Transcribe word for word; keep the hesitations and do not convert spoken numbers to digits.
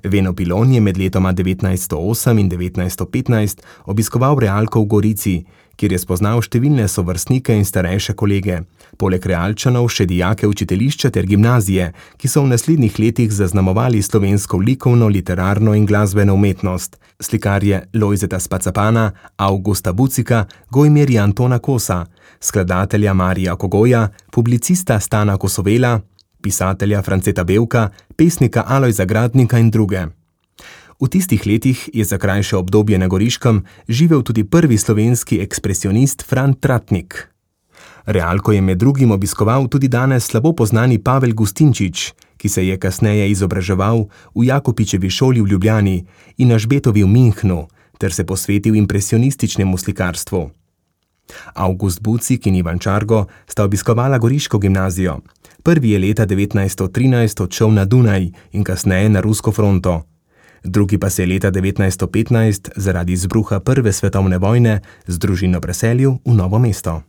Veno Pilon je med letoma devetnajststo osem in devetnajststo petnajst obiskoval Realko v Gorici, kjer je spoznal številne sovrstnike in starejše kolege, poleg Realčanov še dijake učiteljišča ter gimnazije, ki so v naslednjih letih zaznamovali slovensko likovno, literarno in glasbeno umetnost, slikarje Lojzeta Spacapana, Avgusta Bucika, Gojmirja Antona Kosa, skladatelja Marija Kogoja, publicista Stana Kosovela, pisatelja Franceta Bevka, pesnika Alojza Gradnika in druge. V tistih letih je za krajše obdobje na Goriškem živel tudi prvi slovenski ekspresionist Fran Tratnik. Realko je med drugim obiskoval tudi danes slabo poznani Pavel Gustinčič, ki se je kasneje izobraževal v Jakopičevi šoli v Ljubljani in na Žbetovi v Münchnu ter se posvetil impresionističnemu slikarstvu. Avgust Bucik in Ivan Čargo sta obiskovala Goriško gimnazijo. Prvi je leta devetnajststo trinajst odšel na Dunaj in kasneje na rusko fronto. Drugi pa se je leta devetnajststo petnajst zaradi izbruha prve svetovne vojne z družino preselil v Novo mesto.